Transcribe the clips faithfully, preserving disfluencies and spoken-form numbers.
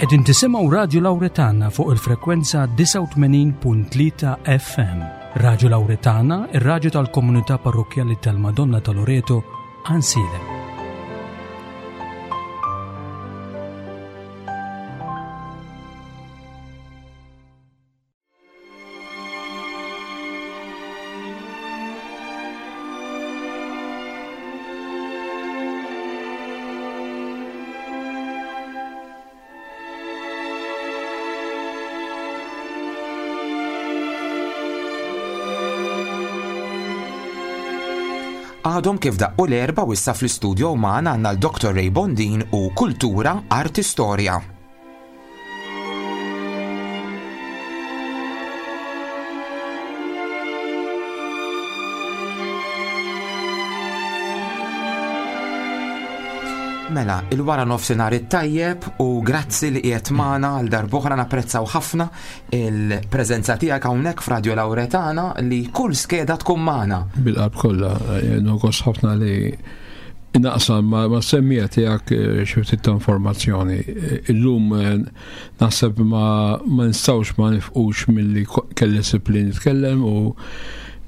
Qegħdin tisimgħu Radio Lauretana fuq il-frekwenza disgħa u tmenin punt tlieta F M. Radio Lauretana, ir-raġu tal-komunità parrokjali tal-Madonna ta' Loreto, Għajnsielem. Għadhom kif daqqu l-erba u issa fl-istudio magħna għandna l-Doktor Ray Bondin u Kultura Arti Storja. Mela, il-wara nofsinhar it-tajjeb u grazzi li qiegħed magħna għal darb'oħra. Napprezzaw ħafna il-preżenza tiegħek hawnhekk f'Radio Lauretana li kull skeda tkun magħna. Bil-qalb kollha, gost ħafna li naqsam ma, mas-semmiegħa tiegħek eh, xi ftit ta' informazzjoni. Eh, Illum eh, naħseb ma, ma nistgħux ma nifqux milli ko- kelli sib li nitkellem u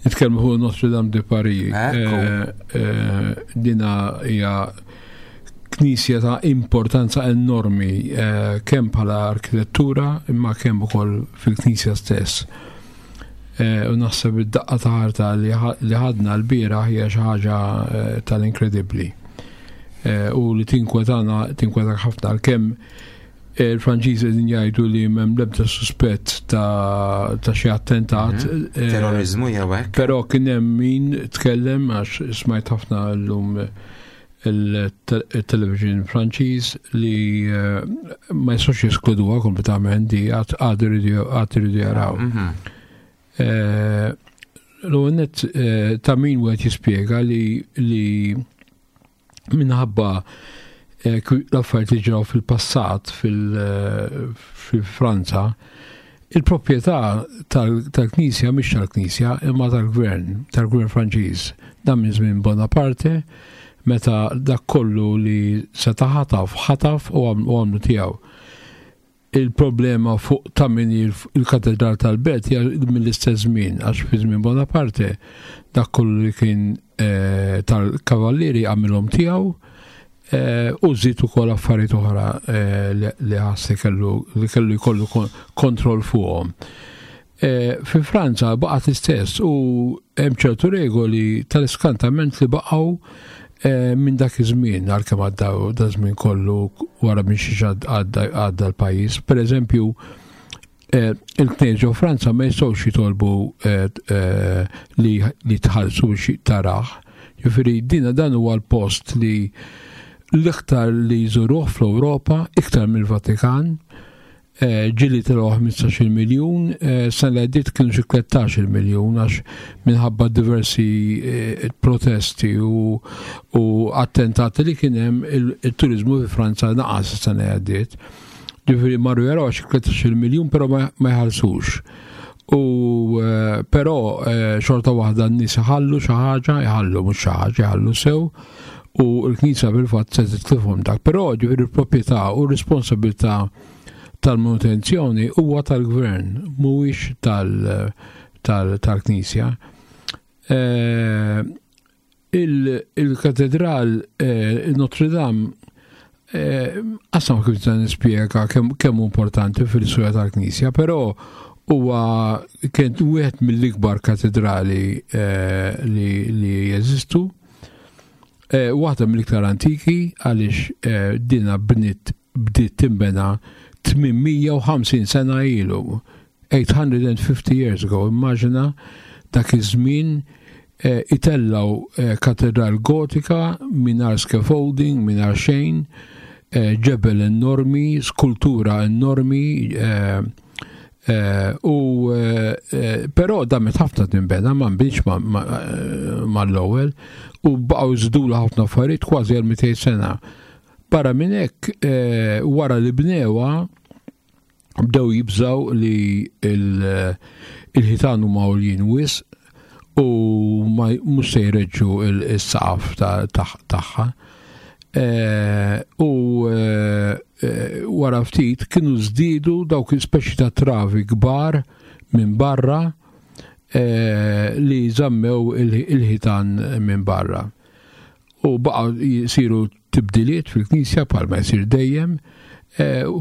nitkellmu fuq Notre Dame de Paris. Ekku. Eh, eh, Dina hija knisja ta' importanza enormi eh, kemm bħala arkitettura imma kemm ukoll fil-knisja stess. Eh, U naħseb id-daqqa ta' ħarta li ħa- li ħadna l-bieraħ hija xi ħaġa eh, tal-inkredibbli. Eh, U li tinkwetana, tinkwetak ħafna, għalkemm il-Franċiżi qegħdin jgħidu li m'hemm l-ebda suspett ta' ta' xi attentat. Mhm. eh, Terrorizmu jew hekk. Però kien hemm min tkellem, għax smajt ħafna llum il-television Franċiż, li eh, ma jistgħux jeskluduha kompletament di, għad għad iridu għad iridu jaraw. Mhm. Eh, L-għonet ta' min wieħed jispjega li li minħabba eh, kwi- l-affarijiet li ġraw fil-passat fil- fil-Franza, il-proprjetà tal- tal-Knisja mhix tal-Knisja imma tal-Gvern, tal-Gvern Franċiż. Dan minn żmien Bonaparte, meta dak kollu li seta' ħataf, ħataf u għam- u għamlu tiegħu. Il-problema fuq ta' min il- il-katedral tal-Belt hija mill-istess żmien, għax fi żmien Bonaparte dak kollu li kien eh, tal-kavallieri għamilhom tiegħu eh, u żid ukoll affarijiet oħra eh, li- li ħassi kellu li kellu jkollu kon- kontroll fuqhom. Eh, Fi Franza baqgħet l-istess u hemm ċertu regoli tal-iskantament li baqgħu eh, minn dak iż-żmien, għalkemm għadda da żmien kollu wara minn xi għadda għadda l-pajjiż. Per eżempju, eh, il-knejjes ġo Franza ma jistgħux jitolbu eh, eh, li li tħallsu biex tarah. Jiġifieri dina dan huwa l-post li l-iktar li jżuruh fl-Ewropa, iktar mill-Vatikan. Eh, ġieli telgħu ħmistax-il miljun, eh, sena li għaddiet kienu xi tlettax-il miljun, għax minħabba diversi eh, protesti u, u attentati li kien hemm, il- il-turizmu fi Franza naqas sena li għaddiet. Ġifieri marru jaraw xi tlettax-il miljun, però ma ma jħallsux. U eh, però eh, xorta waħda n-nies iħallu xi ħaġa, iħallu mhux xi ħaġa, iħallu sew, u l-Knisja fil-fatt se titlifhom dak. Però ġifieri l-proprjetà u r-responsabilità tal-manutenzjoni huwa tal-gvern, mhuwiex tal- tal- tal-Knisja. Eh, il- Il-katedral eh, Notre Dame eh, qasam kif ta' nispjega kemm kemm hu importanti fil-istorja tal-Knisja, però huwa kien wieħed mill-ikbar katedrali eh, li, li jeżistu. Eh, waħda mill-iktar antiki, għaliex eh, dina bnit bdiet timbena tmien mija u ħamsin sena ilu. eight hundred and fifty years ago, immaġina dak iż-żmien eh, itellaw eh, katedral gotika mingħajr scaffolding, mingħajr xejn, eh, ġebel enormi, skultura enormi, eh, eh, u eh, eh, però damet ħafna tinbena, ma nbinx mal-ewwel u baqgħu jżidula ħafna affarijiet kważi għal mitejn sena. Barra minn hekk, eh, wara li bnewha bdew jibżaw li il- il-ħitan huma għoljin wisq u ma mhux se jreġġu il-saqaf ta- ta- tagħha. Eh, U eh, wara ftit kienu żdiedu dawk il-speċi ta' travi kbar minn barra li żammew il-ħitan minn barra. U baqgħu jsiru tibdiliet fil-knisja bħalma jsir dejjem.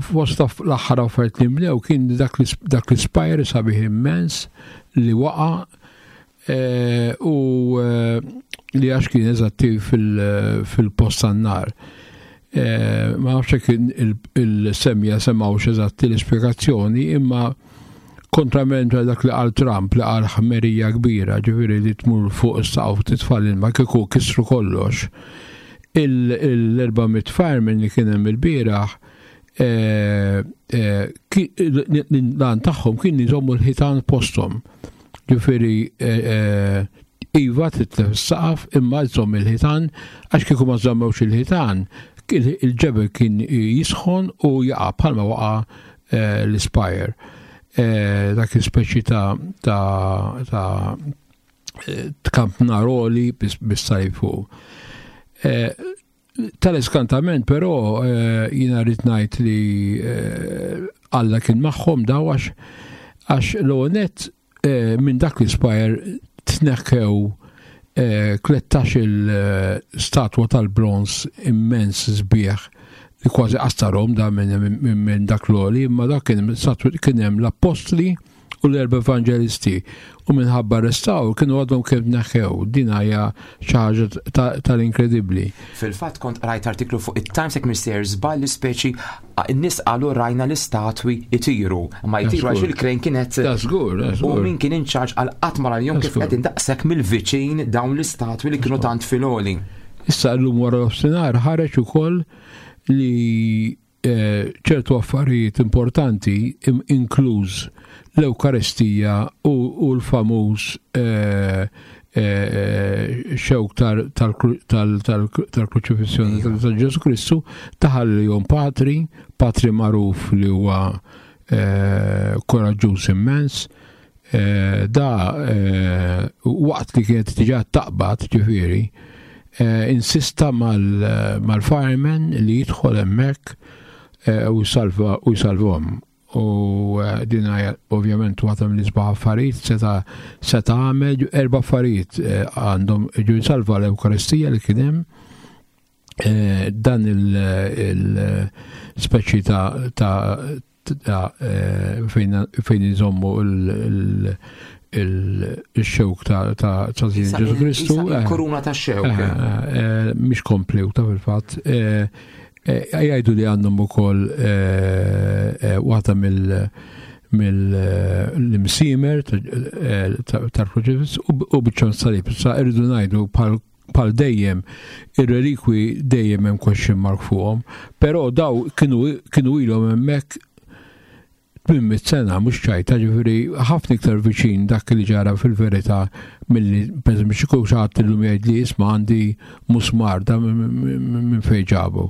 Fost l-aħħar affarijiet li nbnew kien dak l-ispire sabiħ immens li waqa' u li għax kien eżatti fil-post tan-nar. Ma nafx jekk il-semja semgħux eżatti l-ispjegazzjoni, imma kontrament għal dak li qal Trump li qal ħmerija kbira, ġifieri li tmur fuq is-saqaf titfa' l-ilma kieku kisru kollox. L-erba' mitt fireman li kien hemm il-bieraħ l-għan tagħhom kien jżommu l-ħitan posthom. Ġifieri iva titlef is-saqaf imma jżomm il-ħitan, għax kieku ma żammewx il-ħitan, il-ġebel kien jisħon u jaqa' bħalma waqa' l-ispire. Dak il-speċi ta' ta' kampnaroli bis-salib fuq. Tal-iskantament però jiena rrid ngħid li Alla kien magħhom daw għax għax l-għonet minn dak l-ispire tneħħew tlettax il-statwa tal-bronz immens sbieħ li kważi qastarhom da minn dak l-oli, imma dak kien hemm l-appostli u l-erba' evangelisti u minħabba restawr kienu għadhom kemm tneħħew. Din hija xi ħaġa tal-inkredibbli. Fil-fatt kont rajt artiklu fuq it-Times jekk mister żball li speċi n-nies qalu rajna l-istatwi itiru, ma jtiru għax il-crane kienet. U min kien in charge għal qatt ma jom kif qegħdin daqshekk mill-viċin dawn l-istatwi li kienu tant filoli. Issa llum wara nofsinhar ħareġ ukoll li ċertu affarijiet importanti, inkluż l-Ewkaristija u l-famuż xewk tal-kruċifissjoni ta' Ġesu Kristu, taħal li jom patri, patri magħruf li huwa koraġġuż immens. Da waqt li kienet diġà taqbad, ġifieri, insista mal-fireman li jidħol hemmhekk u jsalva u jsalvhom. U din hija ovvjament waħda mill-isbaħ affarijiet seta' seta' għamel erba' affarijiet għandhom ġew jsalva l-Ewkaristija li kien hemm, dan il-speċi ta' ta' fejn iżommu il-xewk ta' Ġesu Kristu. Koruna ta' xewk. Mhix kompluta fil-fatt. Jgħidu li għandhom ukoll waħda mill-imsimer tal-kruċifiss u biċċa salib. Sa irridu ngħidu bħal dejjem ir-relikwi dejjem hemm question mark fuqhom, però daw kienu ilhom hemmhekk tmien mitt sena, mhux ċajta, ġifieri ħafna iktar viċin dak li ġara fil-verità milli pereżempju xi xi ħadd illum jgħid li isma' għandi musmar da minn fejn ġabu.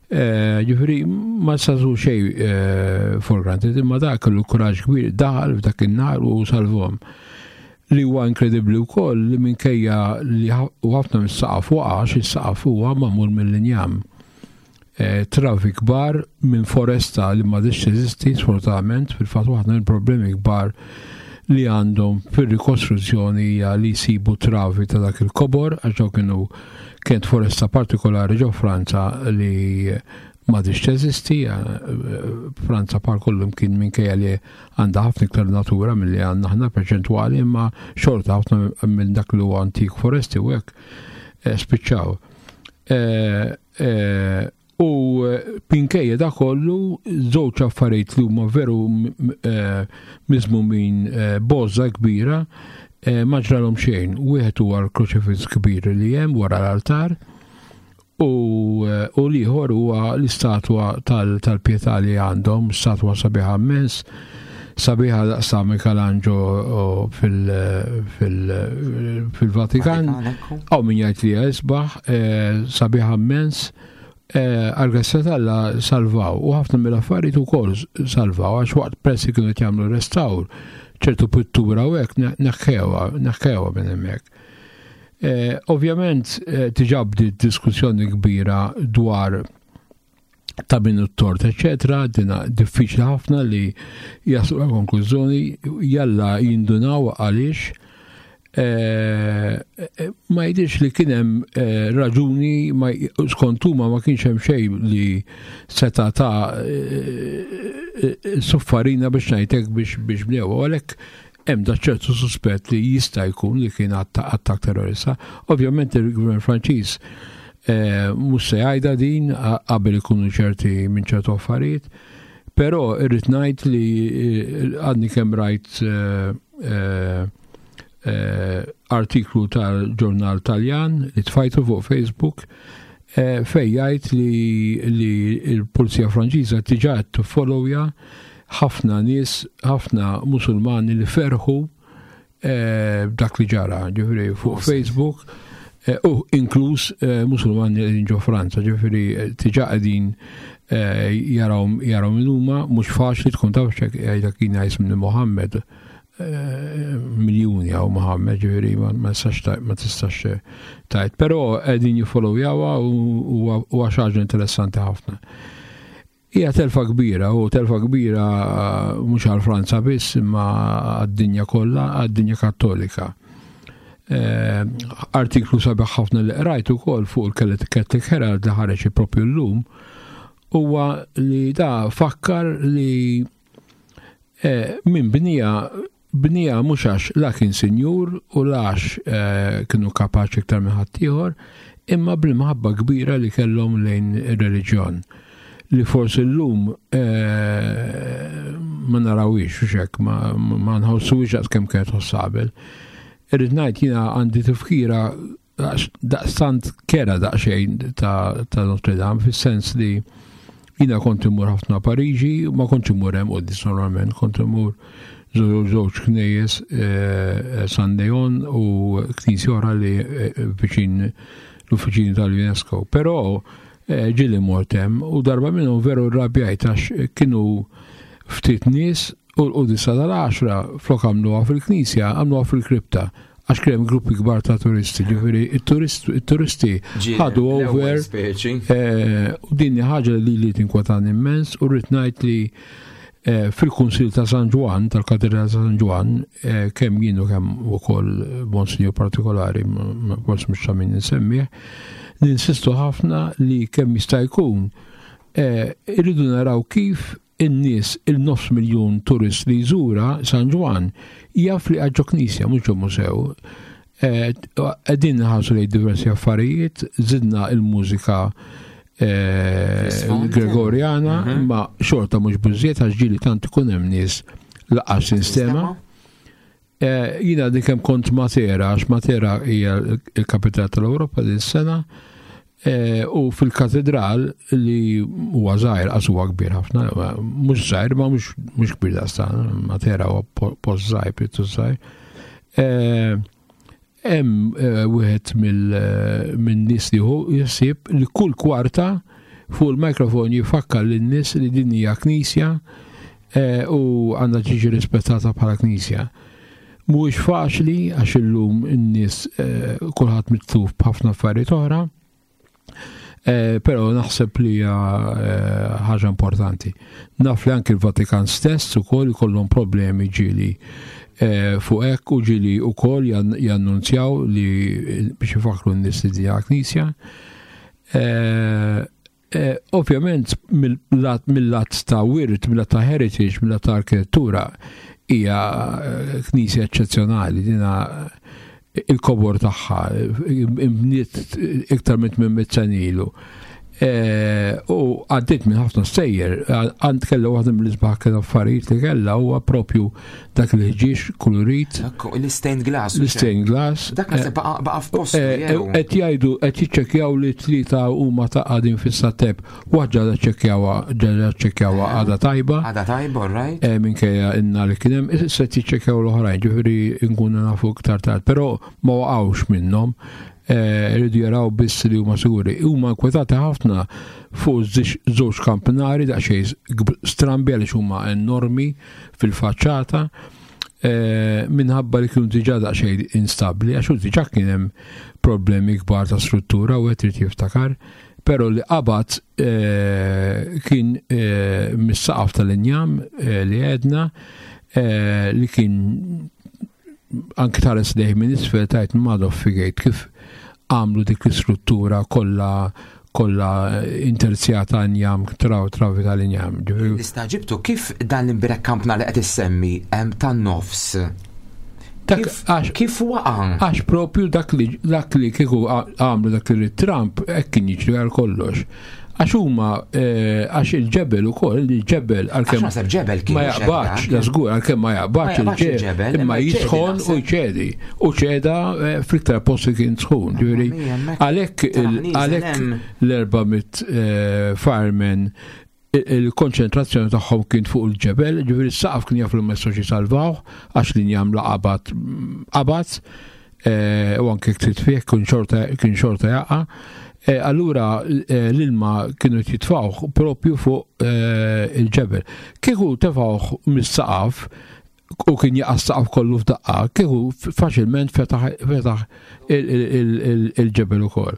Ġifieri ma sażu xejn for granted, imma dak kellu kuraġġ kbir daħal f'dak in-nar u salvhom. Li huwa inkredibbli wkoll li minkejja li ħafna mis-saqaf waqa', għax is-saqaf huwa magħmul mill-injam. Travi kbar minn foresta li m'għadix teżisti sfortunatament. Fil-fatt waħda mill-problemi kbar li għandhom fir-rikostruzzjoni hija li jsibu travi ta' dak il-kobor, għax dawn kienu kienet foresta partikolari ġo Franza li m'għadix teżisti. Franza par kollum kien minkejja li għandha ħafna iktar natura milli għandna aħna perċentwali, imma xorta ħafna minn dak li huwa antik foresti u hekk spiċċaw. U minkejja da kollu żewġ affarijiet li huma veru miżmumin boża kbira ma ġralhom xejn. Wieħed huwa l-kruċifiss kbir li hemm wara l-altar u l-ieħor huwa l-istatwa tal-Pietà li għandhom, statwa sabiħa immens, sabiħa daqs Michelangelo fil-Vatikan. Hawn min jgħid li hija isbaħ, sabiħa immens. Għal-grazzja t'Alla salvaw, u ħafna mill-affarijiet ukoll salvaw, għax waqt pressi kienu qed jagħmlu restawr, ċertu pittura u hekk neħħewha, neħħewha minn hemmhekk. Ovvjament diġà bdiet diskussjoni kbira dwar Ta' min it-tort, eċetera, dina diffiċli ħafna li jaslu għal konklużjoni, jalla jindunaw għaliex eh, eh, ma jidhirx li kien hemm eh, raġuni, ma skont huma ma kienx hemm xejn li seta' ta' suffarina biex ngħidlek biex biex bnew. Għalhekk hemm da ċertu suspett li jista' jkun li kien attak terrorista. Ovvjament il-gvern Franċiż Eh, mhux se jgħidha din qabel ikunu ċerti minn ċertu affarijiet, però irrid ngħid li eh, għadni kemm rajt eh, artiklu tal-ġurnal Taljan li tfajtu fuq Facebook fej jgħid li, li l-Pulizija Franċiża diġà qed tiffollowja ħafna nies, ħafna Musulmani li ferħu dak li ġara, ġifieri fuq Facebook Eh, u inkluż eh, Musulmani li ġo Franza, ġifieri eh, diġà qegħdin jaraw jaraw min huma, mhux faċli tkun taf xek jgħidlek kien jismu Mohammed, miljuni għaw Mohammed, ġifieri ma tistax ma tistax tgħid, però qegħdin jiffollowjawha u huwa xi ħaġa interessanti ħafna. Hija telfa kbira, u telfa kbira mhux għal Franza biss, imma għad-dinja kollha, għad-dinja Kattolika. Eh, artiklu sabiħ ħafna li qrajt ukoll fuq il-Catholic Herald li ħareġ propju llum huwa li da fakkar li eh, min bnieha bnieha mhux għax la kien sinjur u għax eh, kienu kapaċi iktar minn ħaddieħor, imma bl-imħabba kbira li kellhom lejn ir-reliġjon li forsi llum ma narawix u xek, ma, ma nħossuwix kemm kienet tħoss qabel. Irrid ngħid jiena għandi tifkira daqstant kerha daqsxejn ta', ta Notre Dame, fis-sens li jiena kont immur ħafna Pariġi, ma kontx immur hemm quddies normalment, kont immur żewġ knejjes, eh, San Leon u knisja oħra li eh, viċin l-uffiċini tal-UNESCO. Però eh, ġieli mort hemm u darba minnhom veru rrabjajt għax kienu ftit nies u l-qudisa tal-għaxra flok għamluha fil-knisja, għamluha fil-kripta għax kien gruppi kbar ta' turisti, ġifieri it-turisti ħadu over. Eh, u din ħaġa li li tinkwetani immens u rrid ngħid li eh, fil-Kunsil ta' San Ġwann, tal-Katedral ta' San Ġwann, eh, kemm jien u kemm ukoll Monsignor partikolari, forsi mhux ta' min insemmih, ninsistu ħafna li kemm jista' jkun irridu naraw kif in-nies, il-nofs miljun turist li jżura San Ġwann, jaf li ġo knisja, mhux ġo mużew. Qegħdin nħarsu lejn diversi affarijiet, żidna il-mużika eh, Gregoriana, mhm. imma xorta mhux biżżejjed għax ġieli tant ikun hemm nies lanqas tinstema'. Eh, jiena dik kemm kont Matera, għax Matera hija il-kapitale tal-Ewropa din sena, eh, u fil-katedral li huwa żgħir, qas huwa kbir ħafna, mhux żgħir, ma mhux kbir daqstan, Matera huwa post żgħir, pjuttost żgħir. Eh, hemm wieħed mill-nies li hu jsib li kull kwarta fuq il-mikrofon jifakkar lin-nies li din hija knisja u għandha tiġi rispettata bħala knisja. Mhuwiex faċli għax illum in-nies eh, kulħadd mitluf b'ħafna affarijiet oħra, eh, però naħseb li hija eh, ħaġa importanti. Naf li anki l-Vatikan stess ukoll ikollhom problemi ġieli fuq hekk u ġieli ukoll jannunzjaw li biex ifakru n-nies li hija knisja. Ovvjament mill-lat ta' wirt, mill-lat ta' heritage, mill-lat ta' arkitettura, hija eh, knisja eċċezzjonali, dina il-kobor tagħha imbniet iktar minn tmien mitt sena ilu. Eh, u għaddit minn ħafna stejjer, għand kella waħda mill-isbaħ kien affarijiet li kellha huwa propju dak li ħġieġ kulurit. L-stained glass. L-stained glass. Dak naħseb baqa' f'postu. Eh, qed jgħidu qed jiċċekkjaw li tlieta huma ta' qegħdin fis-sateb. Waħda ġa ċċekkjawha ġa ċċekkjawha għadha tajba. Għadha tajba, right? Eh, minkejja inna li kien hemm, se jiċċekkjaw l-oħrajn, ġifieri nkunu nafu iktar tard, però ma waqgħux minnhom. Eh, rridu jaraw biss li huma siguri. Huma nkwetati ħafna fuq żewġ kampnari daqsxejn strambi għaliex huma enormi fil-faċċata eh, minħabba li kienu diġà daqsxejn instabli għax diġà kien hemm problemi kbar ta' struttura u qed trid jiftakar. Pero li qabad eh, kien eh, mis-saqaf tal-injam eh, li għedna eh, li kien anki tħares lejh minn isfel tgħid madoff figejt kif għamlu dik l-istruttura kollha kollha interzjata injam, traw travi tal-injam. Ġifieri, L-istaġibtu kif dan l-imbirek kampna li qed issemmi hemm tan-nofs. Dak Kif, għax kif waqa'? Għax propju dak li dak li kieku għamlu dak li Trump hekk kien jiġri għal kollox. Għax huma eh, għax il-ġebel ukoll, il-ġebel Għax għalkemm naħseb ġebel kien ma mhux jaqbax, hekk da żgur għalkemm ma jaqbax Ma jaqbax il-ġebel, il-ġebel, imma imma jċedi jisħon u naħseb. jċedi. U ċeda eh, fl-iktar post li kien sħun. Ġifieri mia, hemmhekk għalhekk il- taraħniżen għalhekk hemm. l-erba' mitt eh, firemen il- il-konċentrazzjoni tagħhom kien fuq il-ġebel, ġifieri s-saqaf kien jaf li ma jistgħux jisalvaw għax l-injam la qabad qabad eh, u anke trid fih kien xorta kien xorta jaqa'. Eh, Allura eh, l-ilma kienu jitfawh propju fuq eh, il-ġebel. Kieku tefawh mis-saqaf u kien jaqa' s-saqaf kollu f'daqqa, kieku faċilment fetaħ fetaħ il- il- il- il- il-ġebel ukoll.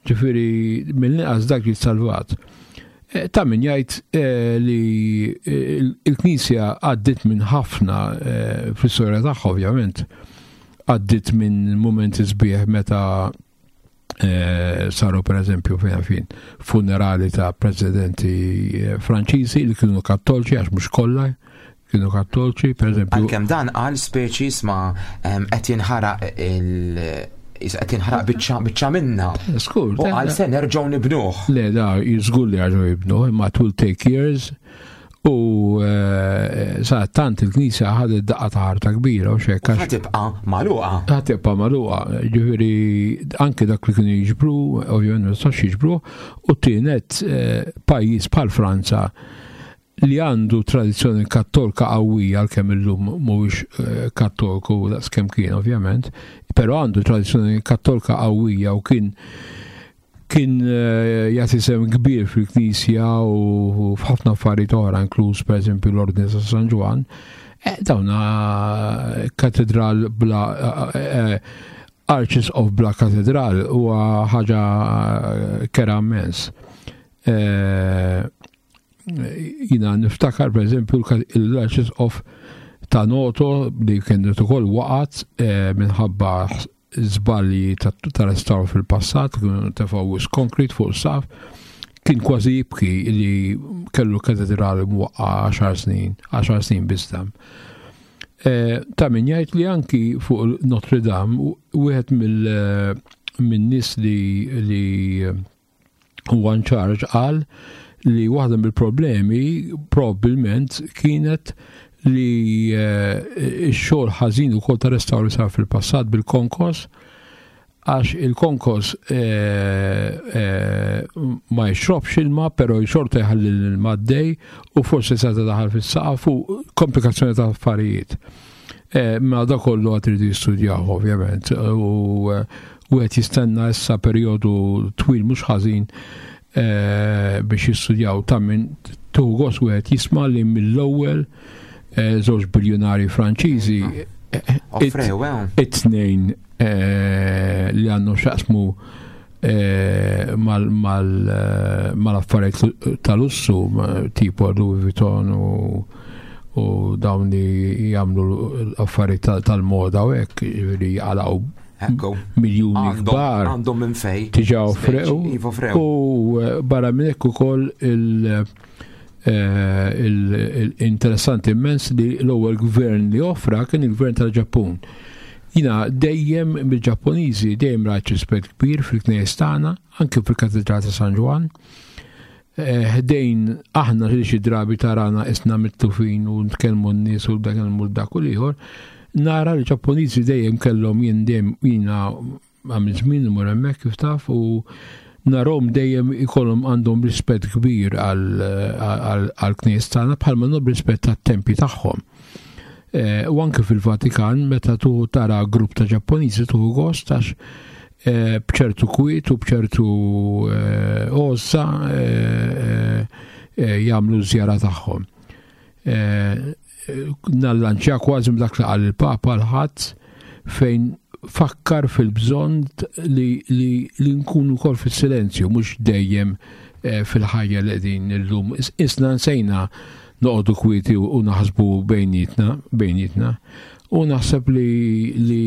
Ġifieri mill-inqas dak jissalvat. Eh, Ta' min jgħid eh, li eh, il-Knisja għaddit minn ħafna eh, fl-istorja tagħha ovvjament, għaddit minn momenti sbieħ meta eh, saru per eżempju fejn fin funerali ta' presidenti eh, Franċiżi li kienu kattolċi għax mhux kollha kienu kattolċi, per eżempju Għalkemm dan għal speċi sma em, qed jinħaraq il qed jinħaraq biċċa biċċa minna. Skur, U għal se nerġgħu nibnuh. Le, da, żgur li għaġu jibnu, imma it will take years. U eh, sa tant il-Knisja ħadet daqqa ta' ħarta kbira u xek, Ħa għax tibqa' magħluqa. ħa tibqa' magħluqa, ġifieri anke dak li kienu jiġbru, ovvjament ma jistax jiġbru, u tienet eh, pajjiż bħal Franza li għandu tradizzjoni kattolika qawwija għalkemm illum mhuwiex eh, kattoliku daqskemm kien ovvjament, però għandu tradizzjoni kattolika qawwija u kien kien eh, jagħti sehem kbir fil-Knisja u f'ħafna affarijiet oħra, inkluż pereżempju l-Ordni ta' San Ġwann. Eh, dawna katedral bla eh, Archbishop bla katedral huwa ħaġa kera immens. Eh, Jina niftakar per eżempju l-Archbishop ta' Noto li kienet ukoll waqgħet eh, minħabba żbalji ta' ta' restawr fil-passat, kienu tefgħu wisq concrete fuq saf, kien kważi jibki li kellu katedrali mwaqqa għaxar snin, għaxar snin biss dam. Eh, Ta' min jgħid li anki fuq Notre Dame, u- wieħed mill minn nies li li huwa in charge qal li waħda mill-problemi probabbilment kienet li eh, x-xogħol ħażin ukoll ta' restawr li sar fil-passat bil-konkos għax il-konkos eh, eh, ma jxrobx ilma, pero xorta jħalli l-ilma għaddej u forsi seta daħal fis-saqaf u komplikazzjoni ta' affarijiet. Eh, Ma da kollu għad iridu jistudjaw ovvjament u eh, wieħed jistenna issa perjodu twil mhux ħażin eh, biex jistudjaw ta' min tuħu gost wieħed jisma' li mill-ewwel eh, żewġ biljonari Franċiżi eh, Offrew, eh. it-tnejn eh, li għandhom x'jaqsmu eh, mal- mal- eh, mal-affarijiet tal-lussu ma- tipo Louis Vuitton u u dawn li jagħmlu l-affarijiet tal- tal-moda u hekk, ġifieri jaqalgħu Ekku. miljuni Għandhom kbar għandhom minn fej. diġà offrew. Iva offrew. U eh, barra minn hekk ukoll il- eh, il- il-interessanti immens li l-ewwel gvern li offra kien il-gvern tal-Ġappun. Jina dejjem mill-Ġappuniżi dejjem rajt rispett kbir fil-knejjes tagħna, anke fil-Katedral ta' San Ġwann. Eh, Ħdejn aħna li xi drabi tarana isna mitlufin u nitkellmu n-nies u dak il dak u l-ieħor, nara li Ġappuniżi dejjem kellhom jien dejjem jiena għamil żmien imur hemmhekk kif taf u narahom dejjem ikollhom għandhom rispett kbir għal-knejjes tagħna bħalma għandhom rispett tat-tempji tagħhom. Eh, U anke fil-Vatikan meta tu tara grupp ta' Ġappuniżi tuħu gost għax eh, bċertu kwiet u bċertu eh, għożża eh, eh, jagħmlu żjara tagħhom. Eh, Nallanċja kważi dak li qal il-Papa l-ħadd fejn fakkar fil-bżonn li, li, li nkunu wkoll fis-silenzju, mhux dejjem eh, fil-ħajja li qegħdin illum. Isna nsejna noqogħdu kwieti u naħsbu bejnietna, bejnietna. U naħseb li, li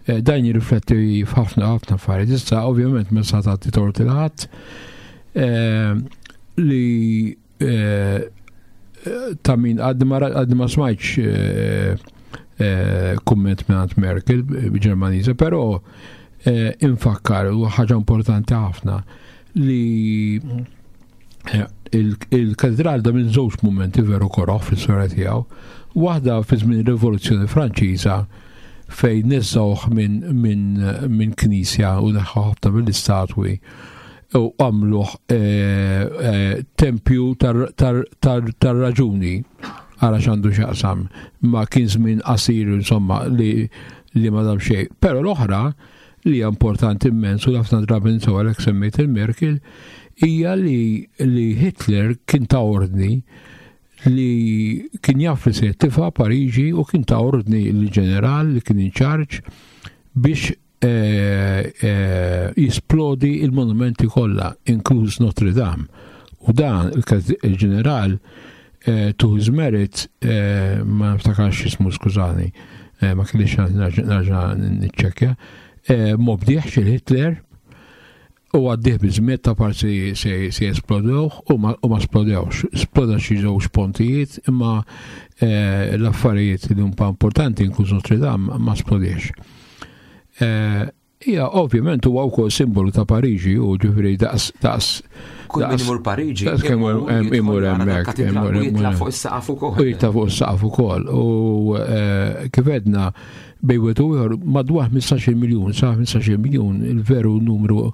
eh, dan jirrifletti f'ħafna ħafna affarijiet. Issa ovvjament ma sa tagħti tort il ħadd eh, li eh, ta' min għadni ma għadni ma smajtx eh, eh, kumment minn Merkel Ġermaniża, però eh, infakkar u ħaġa importanti ħafna li eh, il-katedral da minn żewġ momenti veru koroħ fl-istorja tiegħu. Waħda fi żmien ir-Rivoluzzjoni Franċiża fejn neżżawh minn min, min knisja u neħħu ħafna mill-istatwi u għamluh eh, eh, tempju tar-raġuni għara x'għandu x'jaqsam ma kien żmien qasir insomma li li ma dam xejn. Però l-oħra li hija importanti immens u ħafna drabi nsew għalhekk semmejt il-Merkel hija li, li Hitler kien ta' ordni li kien jaf li se jittifa Pariġi u kien ta' ordni l-ġeneral li kien in charge biex eh, eh, jisplodi il-monumenti kollha, inkluż Notre Dame. U dan il-ġeneral eh, to his merit, eh, ma niftakarx ismu skużani, eh, ma kellix nerġa' niċċekkja, eh, ma obdiex il-Hitler u għaddih biżmiet ta' parti se, se jesplodewh u ma, u ma splodewx. Sploda xi żewġ pontijiet imma eh, l-affarijiet li huma importanti inkluż Notre Dame ma splodiex. Eh, Ija, ovvjament huwa wkoll simbolu ta' Pariġi u ġifieri daqs daqs Kull min imur Pariġi. daqs kemm imur hemmhekk, imur imur jitla' fuq is-saqaf ukoll. U jitla' fuq is-saqaf ukoll. U eh, kif għedna bejn wieħed u ieħor madwar ħmistax-il miljun, sa ħmistax-il miljun il-veru numru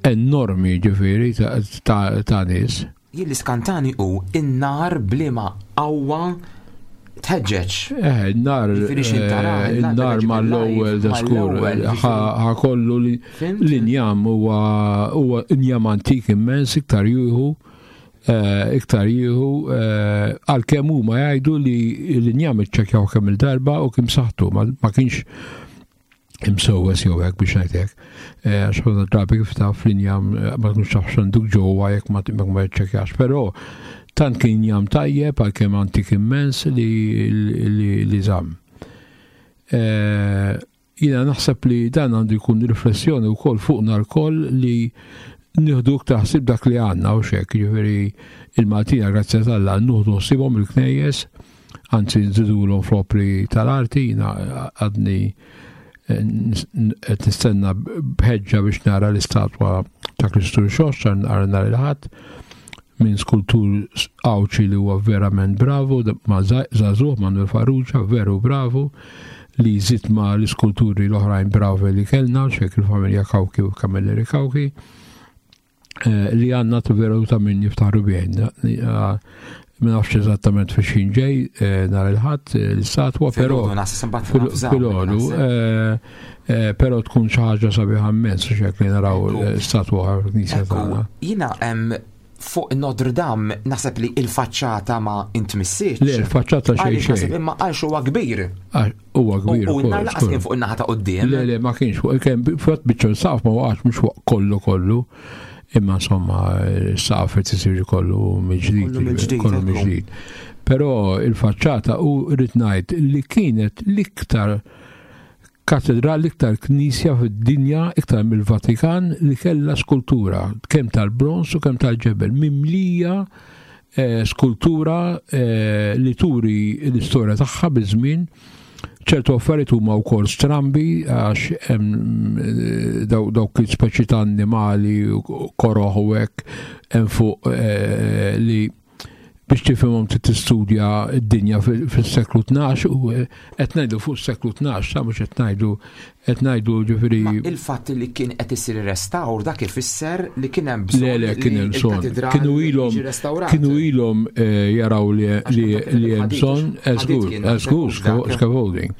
enormi ġifieri ta', ta, ta' nies. Jien li skantani hu in-nar b'liema qawwa tħeġġeġ. Eh, nar Ġifieri x'in tara, eh, il-nar mal-ewwel da skur mal-ewwel, ħa kollu li Fhimt? l-injam huwa huwa injam antik immens iktar jieħu eh, iktar jieħu eh, għalkemm huma jgħidu li l-injam iċċekkjaw kemm il-darba u kien saħtu ma ma kienx imsewwes jew hekk biex ngħidlek. Eh, Għax ħafna drabi kif taf l-injam eh, ma tkunx taf x'għanduk ġewwa jekk ma ma ċċekkjax, però tant kien injam tajjeb għalkemm antik immens li li li żamm. Eh, Jiena naħseb li dan għandu jkun riflessjoni wkoll fuqna lkoll li nieħdu iktar ħsieb dak li għandna u xek, ġifieri il-Maltina grazzi t'Alla nieħdu ħsiebhom il-knejjes, anzi nżidulhom fl-opri tal-arti, jiena għadni eh, qed nistenna b'ħeġġa biex nara l-istatwa ta' Kristu Rxoxt nara nhar il-Ħadd minn skultur Għawdxi li huwa verament bravu, ma żagħżugħ Manuel Farrugia, veru bravu, li jżid ma l-iskulturi l-oħrajn bravi li kellna, xek il-familja Cauchi u Camilleri Cauchi, eh, li għandna veru ta' min jiftaħru bejn. Ma nafx eżattament fi x'ħin ġej eh, nhar il-Ħadd eh, l-istatwa, però Filgħodu naħseb imbagħad nafżaw, filgħodu, naħseb. eh, eh, però tkun xi ħaġa sabiħa immens xek li naraw Ekku. eh, statwa fil-knisja Ekku, tagħna. Jiena em, fuq Notre Dame naħseb li il-faċċata ma intmissitx. Le, il-faċċata xejn Għaliex naħseb xejn. imma għalx huwa kbir. Għax huwa U kbir u ukoll, n-nar laqas skur. kien fuq in-naħa ta' quddiem. Le, le, ma kienx fuq, kien fatt biċċa saqaf ma waqax mhux fuq kollu kollu. Imma insomma, s-saqaf qed isir kollu mill-ġdid. Kollu mill-ġdid, Kollu ekku. mill-ġdid. Però il-faċċata u rrid ngħid li kienet l-iktar katedral, l-iktar knisja fid-dinja, iktar mill-Vatikan li kellha skultura, kemm tal-bronz u kemm tal-ġebel, mimlija eh, skultura eh, li turi l-istorja tagħha biż-żmien. ċertu affarijiet huma wkoll strambi għax hemm eh, daw- dawk il-speċi ta' annimali u koroħ u hekk hemm fuq eh, li biex tifhimhom trid tistudja d-dinja fil- fis-seklu tnax u eh, qed ngħidu fuq is-seklu tnax, ta' mhux qed ngħidu qed ngħidu ġifieri Ma il-fatt li kien qed isir restawr dak ifisser li kien hemm bżonn Le, le, kien hemm li bżonn. il-katedral Kienu ilhom jiġi restawrat. kienu ilhom eh, jaraw li Għax li kont li hemm ħadid, bżonn, ħadid żgur, kien, żgur, dak. scaffolding.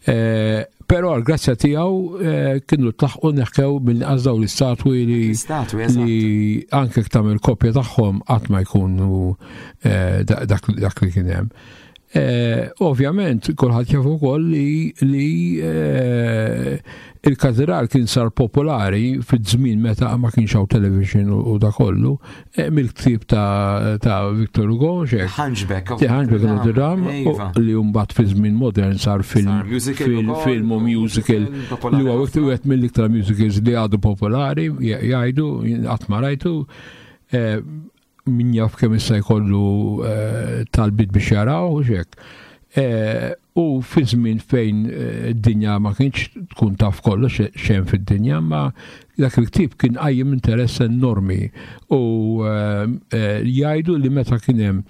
Eh, Però għal grazzja tiegħu eh, kienu tlaħqu neħkew mill-inqas daw l-istatwi li L-istatwi, eżatt. li anke tagħmel kopja tagħhom qatt ma jkunu eh, dak dak li kien hemm. Eh, ovvjament, kulħadd jaf ukoll li, li eh, il-katedral kien sar popolari fiż-żmien meta ma kienx hawn television u, u da kollu, eh, mill-ktieb ta', ta Victor Hugo, xek. Hunchback. The Hunchback of Notre Dame, Iva. u li mbagħad fi żmien modern sar film, Sar musical film, ukoll, film u musical popolari li huwa ħafna. wieħed mill-iktar musicals li għadu popolari, jgħidu, qatt ma rajtu, eh, min jaf kemm issa jkollu eh, talbit biex jaraw u xek. Eh, U fi żmien fejn eh, id-dinja ma kienx tkun taf kollox xejn fid-dinja, ma dak il-ktieb kien qajjem interess enormi u eh, eh, jgħidu li meta kien hemm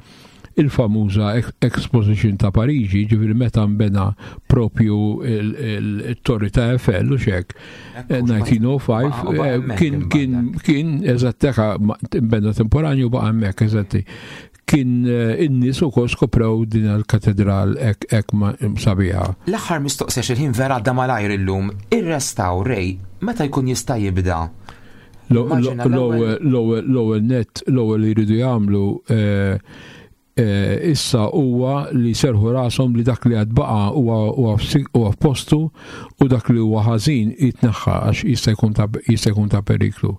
il-famuża Exposition ta' Pariġi, ġifieri meta nbena propju il-Torri ta' Eiffel u xek, elf disa' mija u ħamsa, kien kien kien eżatt nbena temporanju baqa' hemmhekk eżatti. Kien in-nies ukoll skoprew din il-katedral hekk sabiħa. L-aħħar mistoqsija, il-ħin vera għadda malajr illum, ir-restawr Ray meta jkun jista' jibda? L-ewwel net, l-ewwel li jridu jagħmlu issa huwa li serħu rashom li dak li għad baqa huwa f'postu u dak li huwa ħażin jitneħħa għax jista' jkun ta' periklu.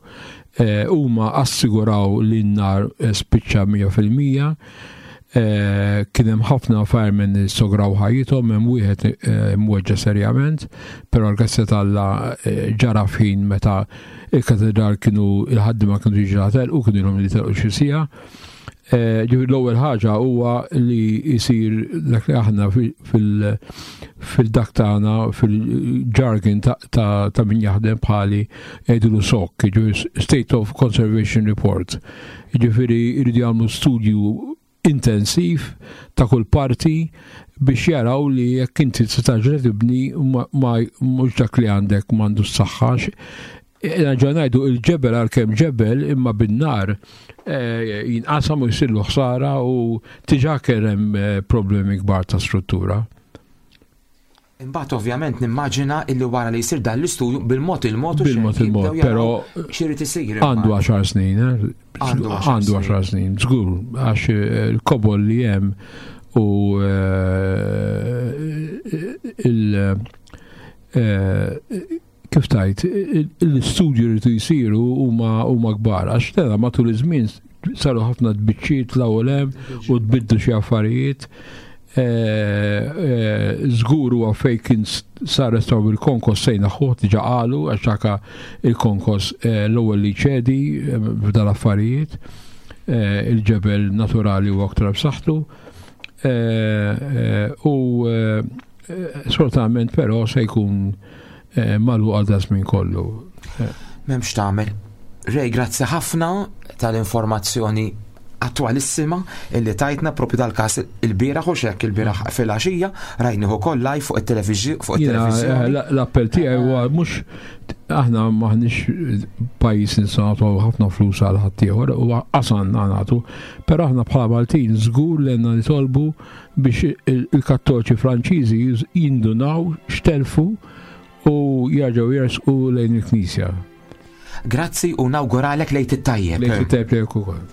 Huma assiguraw li n-nar spiċċa mija fil-mija, kien hemm ħafna firemen li sograw ħajjithom, hemm wieħed mweġġa serjament, però l-grazzja t'Alla ġara f'ħin meta il-katedral kienu il-ħaddiema kienu diġà u kienu ilhom li telqu xi siegħa. L-ewwel ħaġa huwa li jsir dak li aħna fil-dak tagħna fil-jargon ta' min jaħdem bħali jgħidulu S O C, State of Conservation Report. Ġifieri jridu jagħmlu studju intensiv ta' kull parti biex jaraw li jekk inti se terġa' tibni ma mhux dak li għandek m'għandu s-saħħa. Ġa ngħidu il-ġebel għalkemm ġebel imma bin-nar jinqasam u jsirlu ħsara u diġà kien hemm problemi kbar ta' struttura. Imbagħad ovvjament nimmaġina illi wara li jsir dan l-istudju bil-mod il-mod bil-mod il-mod, però x'irid isir. Għandu għaxar snin, għandu għaxar snin, żgur, għax il-kobol li hemm u il- kif tajt, l-istudju li jsiru huma huma kbar, għax tela matul iż-żmien saru ħafna tbiċċiet l-ewwel hemm u tbiddu xi affarijiet. Żgur huwa fejn kien sar restawr bil-konkos se jneħħuh, diġà qalu, għax dak il-konkos l-ewwel li ċedi f'dal affarijiet. Il-ġebel naturali huwa aktar b'saħħtu. U sfortunatament però se jkun magħluq għal żmien kollu. M'hemmx tagħmel. Ray, grazzi ħafna tal-informazzjoni attualissima illi tajtna propju dal-kas il-bieraħ u xek il-bieraħ fil-għaxija rajnieh ukoll live fuq il-televizjoni. L-appell tiegħi huwa mhux aħna maħniex pajjiż nistgħu nagħtu ħafna flus għal ħaddieħor u qasanna nagħtu, però aħna bħala Maltin żgur li għandna nitolbu biex il-Kattoliċi Franċiżi jindunaw x'telfu u jerġgħu jersqu lejn il-Knisja. Grazzi u nawguralek l-Għid it-tajjeb. L-Għid it-tajjeb lilek ukoll.